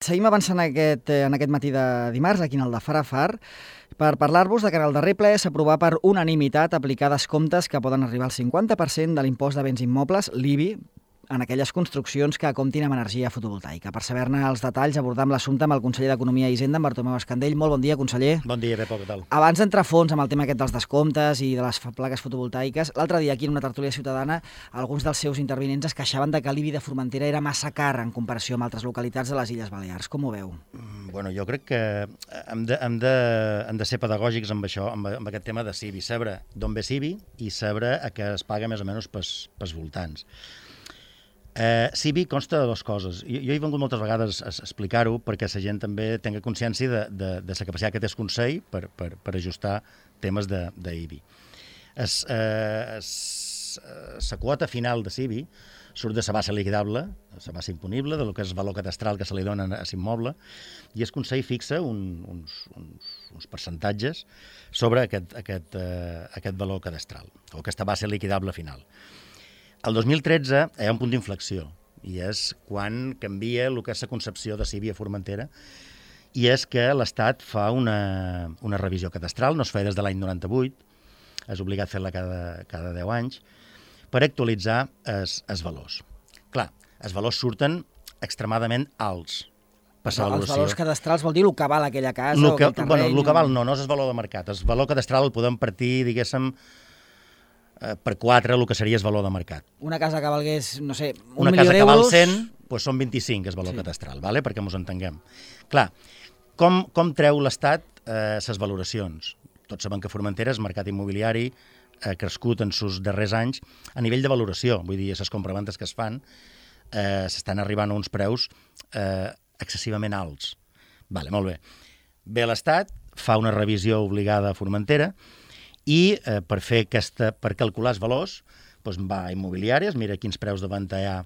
Seguim avançant en aquest matí de dimarts, aquí en el de Far a Far, per parlar-vos de que en el darrer ple s'aprovà per unanimitat aplicar descomptes que poden arribar al 50% de l'impost de béns immobles, l'IBI, en aquelles construccions que comptin amb energia fotovoltaica. Per saber-ne els detalls, abordam l'assumpte amb el conseller d'Economia i Hisenda, en Bartomeu Escandell. Molt bon dia, conseller. Bon dia, Pepo, què tal? Abans d'entrar a fons amb el tema aquest dels descomptes i de les plaques fotovoltaiques, l'altre dia aquí en una tertúlia ciutadana alguns dels seus intervinents es queixaven de que l'IBI de Formentera era massa car en comparació amb altres localitats de les Illes Balears. Com ho veu? Bueno, jo crec que hem de ser pedagògics amb això, amb aquest tema de CIBI, saber d'on ve CIBI i saber a què es paga més o menys pels voltants. CIBI consta de dues coses. Jo he vengut moltes vegades a explicar-ho perquè la gent també tingui consciència de la capacitat que té el Consell per ajustar temes d'IBI. La quota final de CIBI surt de la base liquidable, la base imponible, del que és el valor cadastral que se li dona a l'immoble, i el Consell fixa uns percentatges sobre aquest valor cadastral, o aquesta base liquidable final. El 2013 hi ha un punt d'inflexió, i és quan canvia el que és la concepció de CIBI a Formentera, i és que l'Estat fa una revisió cadastral, no es feia des de l'any 98, és obligat a fer-la cada 10 anys, per actualitzar els valors. Clar, els valors surten extremadament alts per la valoració. Els valors cadastrals vol dir el que val aquella casa o aquell terreny? Bueno, el que val no és el valor de mercat. El valor cadastral el podem partir, diguéssim, per 4, el que seria el valor de mercat. Una casa que valgués, no sé, un una milió casa que val d'euros... 100, doncs són 25 el valor cadastral, ¿vale? Perquè ens entenguem. Clar, com treu l'Estat les valoracions? Tots sabem que Formentera, el mercat immobiliari, ha crescut en els darrers anys a nivell de valoració. Vull dir, les compraventes que es fan s'estan arribant a uns preus excessivament alts. Vale, molt bé. Ve l'Estat, fa una revisió obligada a Formentera, i per calcular els valors doncs va a immobiliàries, mira quins preus de venda hi ha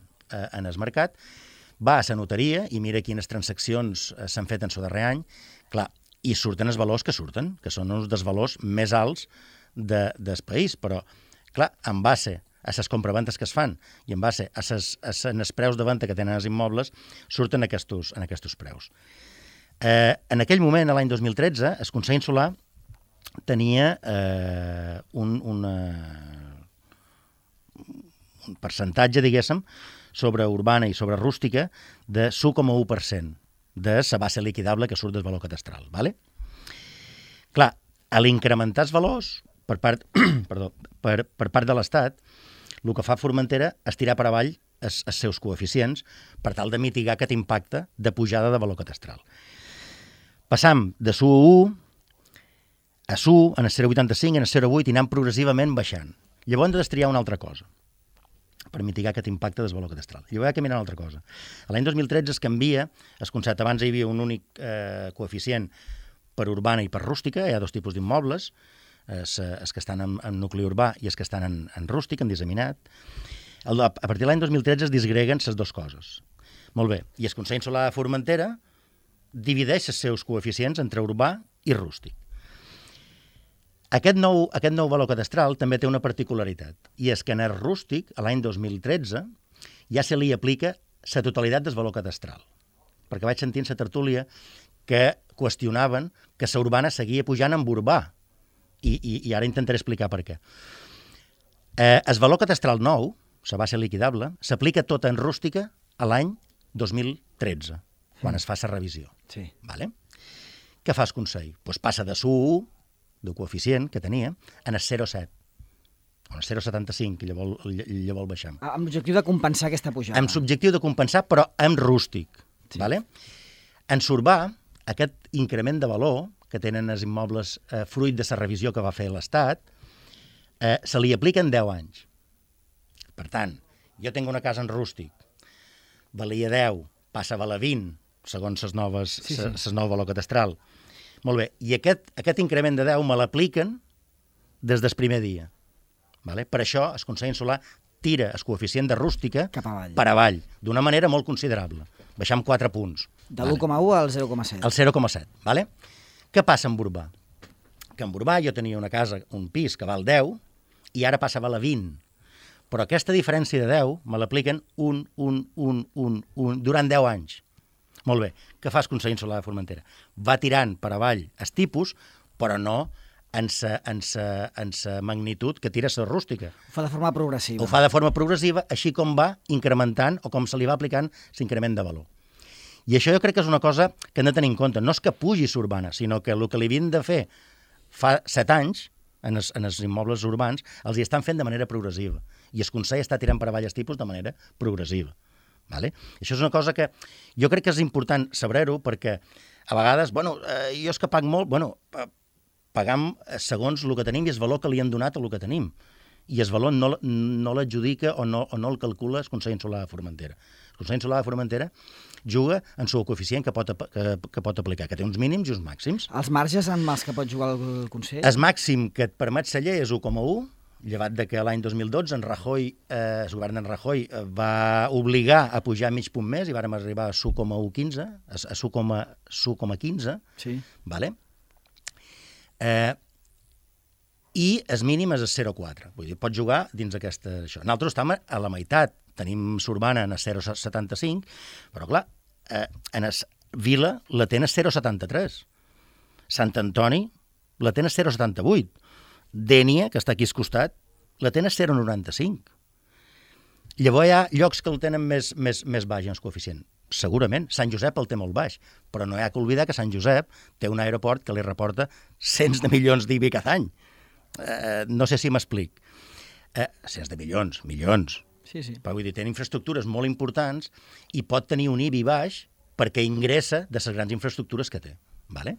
en el mercat, va a la notaria i mira quines transaccions s'han fet en el darrer any, clar, i surten els valors que surten, que són uns dels valors més alts del país, però, clar, en base a les compraventes que es fan i en base a els preus de venda que tenen els immobles, surten aquests preus. En aquell moment, l'any 2013, el Consell Insular tenia un percentatge, diguéssim, sobre urbana i sobre rústica de 1,1% de la base liquidable que surt del valor cadastral. ¿Vale? Clar, a l'incrementar els valors per part de l'Estat, el que fa Formentera és tirar per avall els seus coeficients per tal de mitigar aquest impacte de pujada de valor cadastral. Passam de 1,1 a 1, en el 0,85, en el 0,8 i anant progressivament baixant. Llavors hem de destriar una altra cosa per mitigar aquest impacte del valor cadastral. Llavors hi ha que mirar una altra cosa. L'any 2013 es canvia el concepte. Abans hi havia un únic coeficient per urbana i per rústica. Hi ha dos tipus d'immobles, els que estan en nucli urbà i els que estan en rústic, en disseminat. A partir de l'any 2013 es disgreguen les dues coses. Molt bé. I el Consell Insular de Formentera divideix els seus coeficients entre urbà i rústic. Aquest nou valor cadastral també té una particularitat, i és que en el rústic, l'any 2013, ja se li aplica la totalitat del valor cadastral. Perquè vaig sentir en la tertúlia que qüestionaven que la urbana seguia pujant amb urbà, i ara intentaré explicar per què. El valor cadastral nou, la base liquidable, s'aplica tota en rústica a l'any 2013, quan es fa la revisió. Sí. Vale? Què fa el Consell? Pues passa de 1,1, de coeficient que tenia, en el 0,7, o en el 0,75, que llavors baixem. Amb l'objectiu de compensar aquesta pujada. Amb l'objectiu de compensar, però amb rústic. Sí. Vale? En surbà, aquest increment de valor que tenen els immobles fruit de la revisió que va fer l'Estat, se li aplica en 10 anys. Per tant, jo tinc una casa en rústic, valia 10, passa a valer 20, segons les noves valor cadastral. Molt bé, i aquest increment de 10 me l'apliquen des del primer dia. Vale? Per això el Consell Insular tira el coeficient de rústica per avall, d'una manera molt considerable. Baixam 4 punts. De l'1,1 al 0,7. Al 0,7, vale? Què passa amb urbà? Que amb urbà jo tenia una casa, un pis que val 10, i ara passa a valer 20. Però aquesta diferència de 10 me l'apliquen durant 10 anys. Molt bé, què fas Consell Insular de Formentera? Va tirant per avall el tipus, però no en sa magnitud que tira la rústica. Ho fa de forma progressiva. Ho fa de forma progressiva, així com va incrementant o com se li va aplicant l'increment de valor. I això jo crec que és una cosa que hem de tenir en compte. No és que pugi l'urbana, sinó que el que li havien de fer fa 7 anys en els immobles urbans els hi estan fent de manera progressiva. I el Consell està tirant per avall els tipus de manera progressiva. Vale? Això és una cosa que jo crec que és important saber-ho perquè a vegades, jo és que pago molt, pagam segons el que tenim i el valor que li han donat a el que tenim. I el valor no l'adjudica o no el calcula el Consell Insular de Formentera. El Consell Insular de Formentera juga en el coeficient que pot aplicar, que té uns mínims i uns màxims. Els marges en els que pot jugar el Consell? El màxim que et permet la llei és 1,1, llevat de que l'any 2012 el govern d'en Rajoy va obligar a pujar mig punt més i vàrem arribar a 1,15, a 1,15, sí. Vale? I el mínim és el 0,4. Vull dir, pots jugar dins aquesta... Nosaltres estem a la meitat. Tenim l'urbana en el 0,75, però clar, en el Vila la té en el 0,73. Sant Antoni la té en el 0,78. Dénia, que està aquí al costat, la té en el 0,95. Llavors hi ha llocs que el tenen més baix en el coeficient. Segurament, Sant Josep el té molt baix, però no hi ha que oblidar que Sant Josep té un aeroport que li reporta cents de milions d'IBI cada any. No sé si m'explic. Cents de milions. Sí. Però vull dir, té infraestructures molt importants i pot tenir un IBI baix perquè ingressa de les grans infraestructures que té. Vale?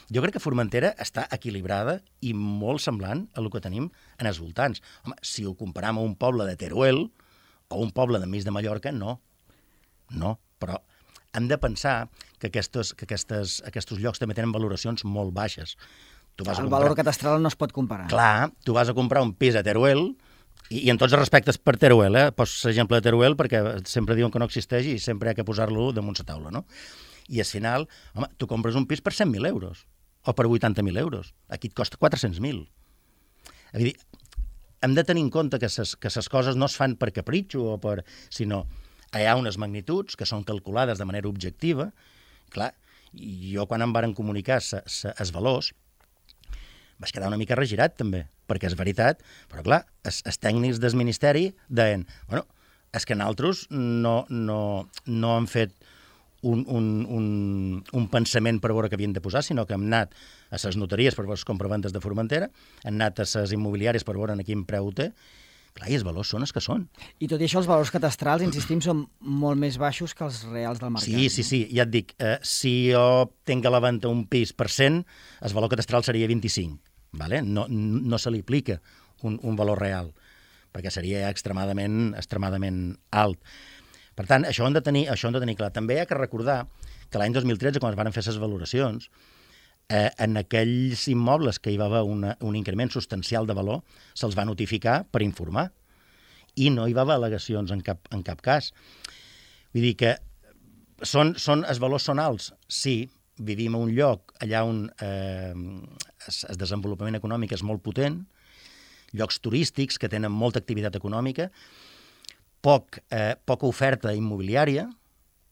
Jo crec que Formentera està equilibrada i molt semblant a el que tenim en els voltants. Home, si ho comparam a un poble de Teruel o un poble de mig de Mallorca, no, però hem de pensar que aquests llocs també tenen valoracions molt baixes. El valor catastral no es pot comparar. Clar, tu vas a comprar un pis a Teruel i en tots els respectes per Teruel, poso l'exemple de Teruel perquè sempre diuen que no existeix i sempre hi ha que posar-lo damunt la taula, no? I al final, home, tu compres un pis per 100.000 euros o per 80.000 euros. Aquí et costa 400.000. És a dir, hem de tenir en compte que les coses no es fan per capritxo sinó hi ha unes magnituds que són calculades de manera objectiva. Clar, jo quan em varen comunicar els valors vaig quedar una mica regirat també, perquè és veritat, però clar, els tècnics del Ministeri deien, és que nosaltres no hem fet un pensament per veure què havien de posar, sinó que hem anat a les notaries per veure les compraventes de Formentera, hem anat a les immobiliàries per veure a quin preu ho té. Clar, i els valors són els que són. I tot i això, els valors catastrals, insistim, són molt més baixos que els reals del mercat. Sí, ja et dic, si jo tinc a la venda un pis per 100, el valor catastral seria 25. Vale? No se li aplica un valor real, perquè seria extremadament alt. Per tant, això ho hem de tenir clar. També hi ha que recordar que l'any 2013, quan es van fer les valoracions, en aquells immobles que hi va haver un increment substancial de valor, se'ls va notificar per informar. I no hi va haver al·legacions en cap cas. Vull dir que els valors són alts. Sí, vivim a un lloc allà on el desenvolupament econòmic és molt potent, llocs turístics que tenen molta activitat econòmica, poca oferta immobiliària,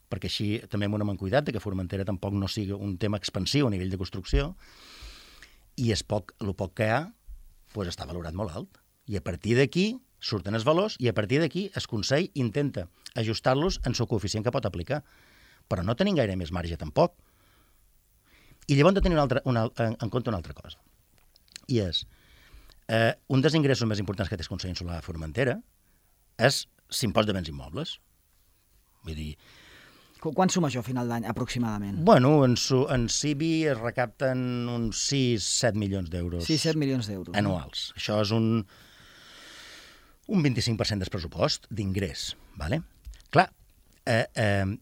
perquè així també hem un cuidat que Formentera tampoc no sigui un tema expansiu a nivell de construcció, i el poc que hi ha doncs està valorat molt alt. I a partir d'aquí surten els valors i a partir d'aquí el Consell intenta ajustar-los en el coeficient que pot aplicar. Però no tenim gaire més marge tampoc. I llavors hem de tenir en compte una altra cosa. I és, un dels ingressos més importants que té el Consell Insular de Formentera és l'impost de béns immobles. Vull dir... Quan suma això a final d'any, aproximadament? En CIBI es recapten uns 6-7 milions d'euros. 6-7 milions d'euros. Anuals. Això és un 25% del pressupost d'ingrés. Vale? Clar, el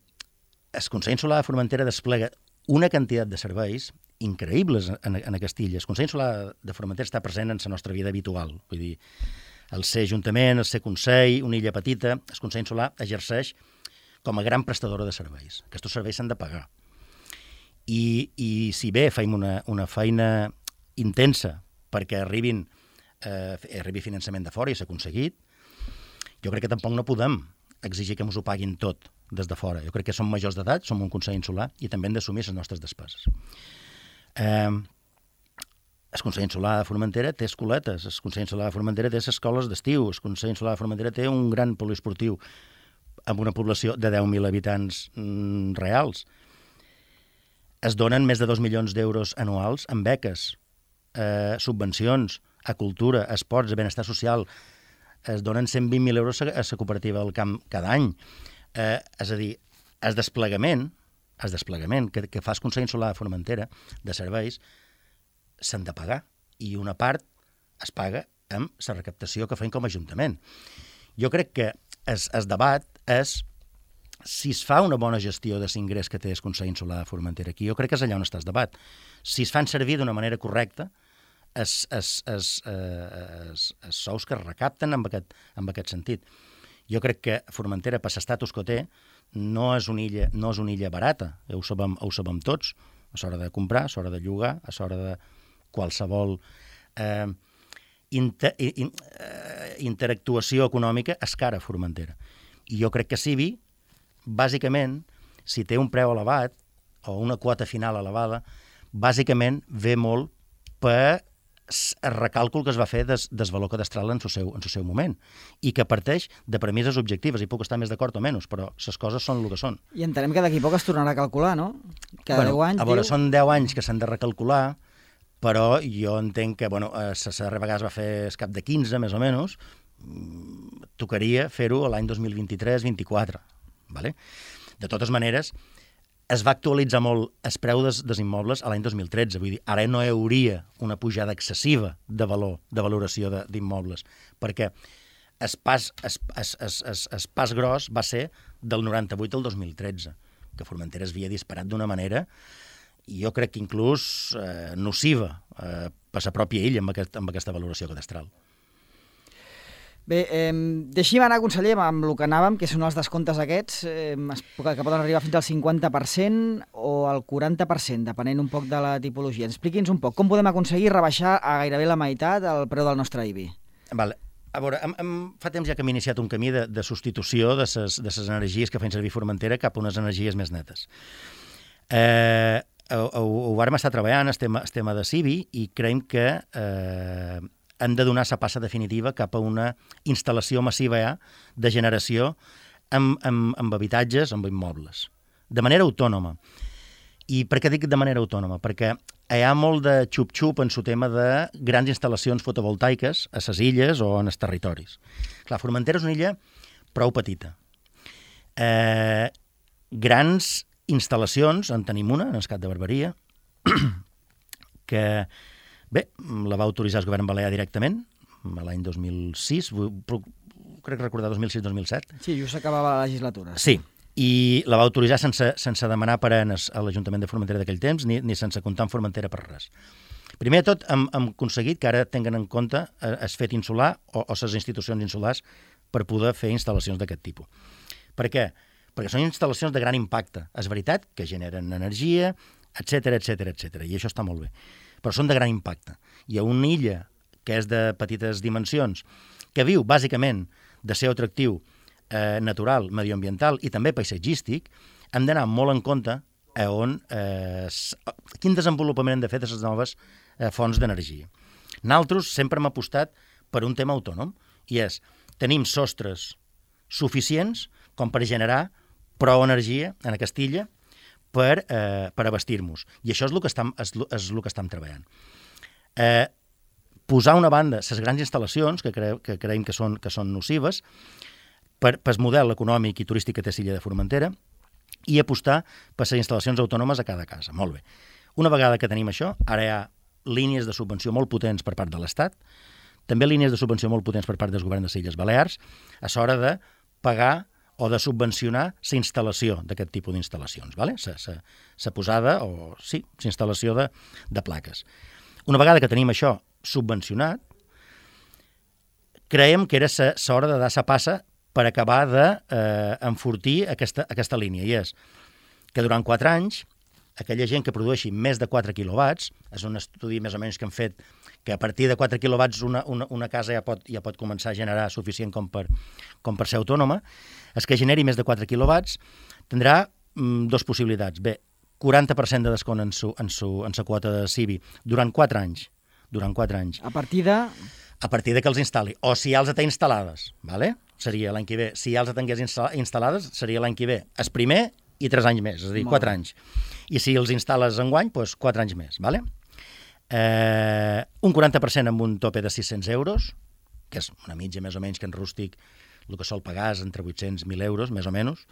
Consell Insular de Formentera desplega una quantitat de serveis increïbles en Castilla. El Consell Insular de Formentera està present en la nostra vida habitual. Vull dir, el ser Ajuntament, el ser Consell, una illa petita, el Consell Insular exerceix com a gran prestadora de serveis. Aquests serveis s'han de pagar. I si bé fem una feina intensa perquè arribi finançament de fora i s'ha aconseguit, jo crec que tampoc no podem exigir que ens ho paguin tot des de fora. Jo crec que som majors d'edat, som un Consell Insular i també hem d'assumir les nostres despeses. El Consell Insular de Formentera té escoletes, el Consell Insular de Formentera té les escoles d'estiu, el Consell Insular de Formentera té un gran poliesportiu amb una població de 10.000 habitants reals. Es donen més de 2 milions d'euros anuals en beques, subvencions, a cultura, a esports, a benestar social. Es donen 120.000 euros a la cooperativa del camp cada any. És a dir, el desplegament que fa el Consell Insular de Formentera de serveis s'han de pagar, i una part es paga amb la recaptació que feim com a Ajuntament. Jo crec que el debat és si es fa una bona gestió de l'ingrés que té el Consell Insular de Formentera aquí. Jo crec que és allà on està el debat. Si es fan servir d'una manera correcta els sous que es recapten en aquest sentit. Jo crec que Formentera, per l'estatus que té, no és una illa barata, ho sabem tots, a l'hora de comprar, a l'hora de llogar, a l'hora de qualsevol interactuació econòmica és cara a Formentera. I jo crec que Civi, bàsicament, si té un preu elevat o una quota final elevada, bàsicament ve molt per el recàlcul que es va fer del valor cadastral en el seu moment, i que parteix de premisses objectives, i puc estar més d'acord o menys, però les coses són el que són. I entenem que d'aquí poc es tornarà a calcular, no? Cada 10 anys, a veure, són 10 anys que s'han de recalcular, però jo entenc que, la darrera vegada es va fer el cap de 15, més o menys, tocaria fer-ho l'any 2023-24. Vale? De totes maneres, es va actualitzar molt el preu dels immobles a l'any 2013, vull dir, ara no hi hauria una pujada excessiva de valor, de valoració d'immobles, perquè el pas gros va ser del 98 al 2013, que Formentera es havia disparat d'una manera, i jo crec que inclús nociva per la pròpia illa amb aquesta valoració cadastral. Bé, deixi'm anar, conseller, amb el que anàvem, que són els descomptes aquests, que poden arribar fins al 50% o al 40%, depenent un poc de la tipologia. Expliqui'ns un poc, com podem aconseguir rebaixar a gairebé la meitat el preu del nostre IBI? Vale. A veure, fa temps ja que hem iniciat un camí de substitució de les energies que feien servir Formentera cap a unes energies més netes. Ho vàrem estar treballant, el tema de Civi, i creiem que hem de donar la passa definitiva cap a una instal·lació massiva de generació amb habitatges, amb immobles, de manera autònoma. I per què dic de manera autònoma? Perquè hi ha molt de xup-xup en el tema de grans instal·lacions fotovoltaiques a les illes o en els territoris. Clar, Formentera és una illa prou petita. Grans instal·lacions, en tenim una, en el Cap de Barberia, que, bé, la va autoritzar el govern balear directament, l'any 2006, crec recordar 2006-2007. Sí, just s'acabava la legislatura. Sí, i la va autoritzar sense demanar parenes a l'Ajuntament de Formentera d'aquell temps, ni sense comptar amb Formentera per res. Primer de tot, hem aconseguit que ara tinguen en compte el fet insular o les institucions insulars per poder fer instal·lacions d'aquest tipus. Per què? Perquè són instal·lacions de gran impacte. És veritat que generen energia, etc, i això està molt bé. Però són de gran impacte. Hi ha una illa que és de petites dimensions, que viu bàsicament de ser atractiu natural, medioambiental i també paisatgístic, hem d'anar molt en compte quin desenvolupament hem de fer de les noves fonts d'energia. Nosaltres sempre hem apostat per un tema autònom, i és, tenim sostres suficients com per generar prou energia en aquesta illa per abastir-nos. I això és el que estem treballant. Posar una banda les grans instal·lacions, que creiem que són nocives, per el model econòmic i turístic que té l'illa de Formentera, i apostar per les instal·lacions autònomes a cada casa. Molt bé. Una vegada que tenim això, ara hi ha línies de subvenció molt potents per part de l'Estat, també línies de subvenció molt potents per part del govern de les Illes Balears, a l'hora de pagar o de subvencionar la instal·lació d'aquest tipus d'instal·lacions, la posada o, sí, la instal·lació de plaques. Una vegada que tenim això subvencionat, creiem que era l'hora de dar la passa per acabar d'enfortir aquesta línia, i és que durant 4 anys aquella gent que produeixi més de 4 quilowatts, és un estudi més o menys que han fet, que a partir de 4 quilowatts una casa ja pot començar a generar suficient com per ser autònoma, és que generi més de 4 quilowatts tindrà dues possibilitats. Bé, 40% de descont en sa quota de CIBI durant 4 anys. A partir de que els instal·li. O si ja els té instal·lades, ¿vale? Seria l'any que ve. Si ja els tingués instal·lades, seria l'any que ve. El primer i 3 anys més, és a dir, 4 anys. I si els instal·les enguany, doncs 4 anys més, ¿vale? Un 40% amb un tope de 600 euros, que és una mitja més o menys que en rústic el que sol pagar és entre 800 i 1.000 euros, més o menys.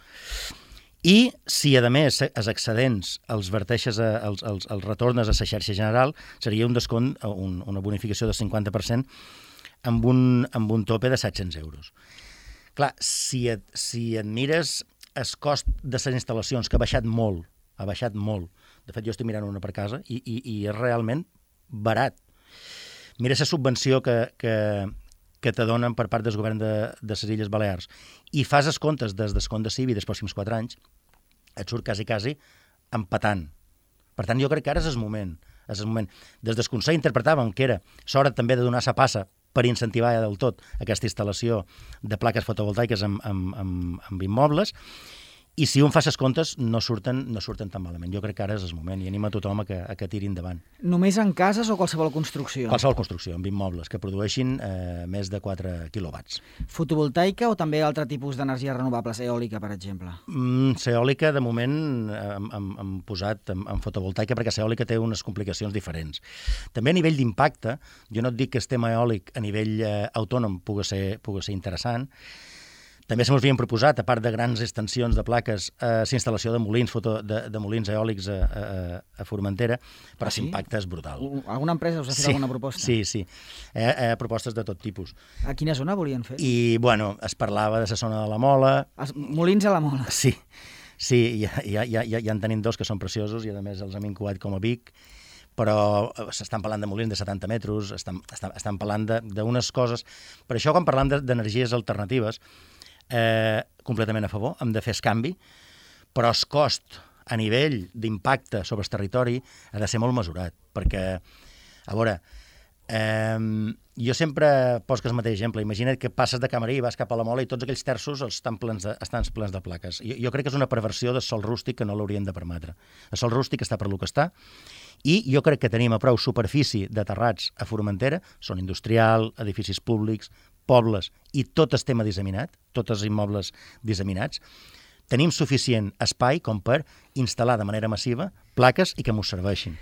I si, a més, els excedents els verteixes, els retornes a la xarxa general, seria un descont, una bonificació del 50% amb un tope de 700 euros. Clar, si et mires el cost de les instal·lacions, que ha baixat molt, de fet jo estic mirant una per casa, i és realment barat. Mira la subvenció que te donen per part del govern de les Illes Balears i fas els comptes del descont de CIBI dels pròxims 4 anys, et surt quasi empatant. Per tant, jo crec que ara és el moment. Des del Consell interpretàvem que era l'hora també de donar la passa per incentivar del tot aquesta instal·lació de plaques fotovoltaiques amb immobles, i si un fa les comptes no surten tan malament. Jo crec que ara és el moment i anima a tothom a que tiri endavant. Només en cases o qualsevol construcció? Qualsevol construcció, amb immobles, que produeixin més de 4 quilowatts. Fotovoltaica o també altre tipus d'energies renovables, eòlica, per exemple? L'eòlica, de moment, hem posat en fotovoltaica perquè l'eòlica té unes complicacions diferents. També a nivell d'impacte, jo no et dic que el tema eòlic a nivell autònom pugui ser interessant. També se m'havien proposat, a part de grans extensions de plaques, la instal·lació de molins eòlics a Formentera, però l'impacte és brutal. Alguna empresa us ha fet alguna proposta? Sí. Propostes de tot tipus. A quina zona volien fer? I, bueno, es parlava de la zona de la Mola. Molins a la Mola? Sí, ja en tenim 2 que són preciosos i, a més, els hem incubat com a Vic, però s'estan parlant de molins de 70 metres, estan parlant d'unes coses. Per això, quan parlam d'energies alternatives, completament a favor, hem de fer el canvi, però el cost a nivell d'impacte sobre el territori ha de ser molt mesurat, perquè, a veure, jo sempre poso el mateix exemple. Imagina't que passes de Camarí i vas cap a la Mola i tots aquells terços estan plens de plaques. Jo crec que és una perversió del sòl rústic que no l'haurien de permetre. El sòl rústic està per lo que està, i jo crec que tenim a prou superfície de terrats a Formentera, són industrial, edificis públics, pobles, i tot el tema disseminat, tots els immobles disseminats, tenim suficient espai com per instal·lar de manera massiva plaques i que m'ho serveixin.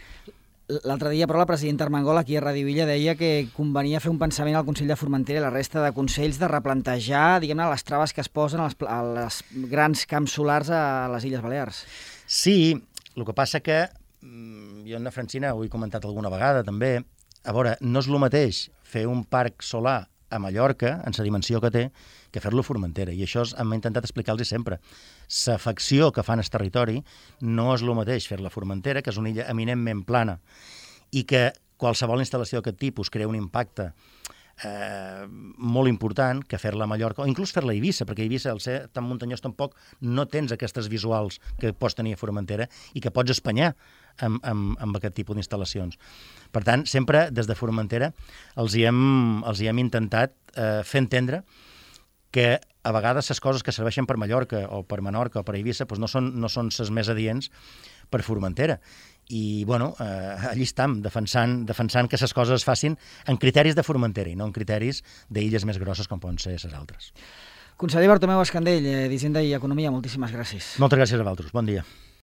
L'altre dia, però, la presidenta Armengol aquí a Ràdio Illa deia que convenia fer un pensament al Consell de Formentera i la resta de consells de replantejar, diguem-ne, les traves que es posen a les grans camps solars a les Illes Balears. Sí, el que passa que jo en la Francina ho he comentat alguna vegada també, a veure, no és el mateix fer un parc solar a Mallorca, en la dimensió que té, que fer-lo a Formentera. I això hem intentat explicar-los sempre. L'afecció que fan al territori no és el mateix fer-la a Formentera, que és una illa eminentment plana, i que qualsevol instal·lació d'aquest tipus crea un impacte molt important, que fer-la a Mallorca, o inclús fer-la a Eivissa, perquè a Eivissa, al ser tan muntanyós tampoc, no tens aquestes visuals que pots tenir a Formentera i que pots espanyar amb aquest tipus d'instal·lacions. Per tant, sempre des de Formentera els hi hem intentat fer entendre que a vegades les coses que serveixen per Mallorca o per Menorca o per Eivissa no són les més adients per Formentera. I, bueno, allí estem, defensant que les coses es facin en criteris de Formentera i no en criteris d'illes més grosses com poden ser les altres. Conseller Bartomeu Escandell, d'Hisenda i Economia, moltíssimes gràcies. Moltes gràcies a vosaltres. Bon dia.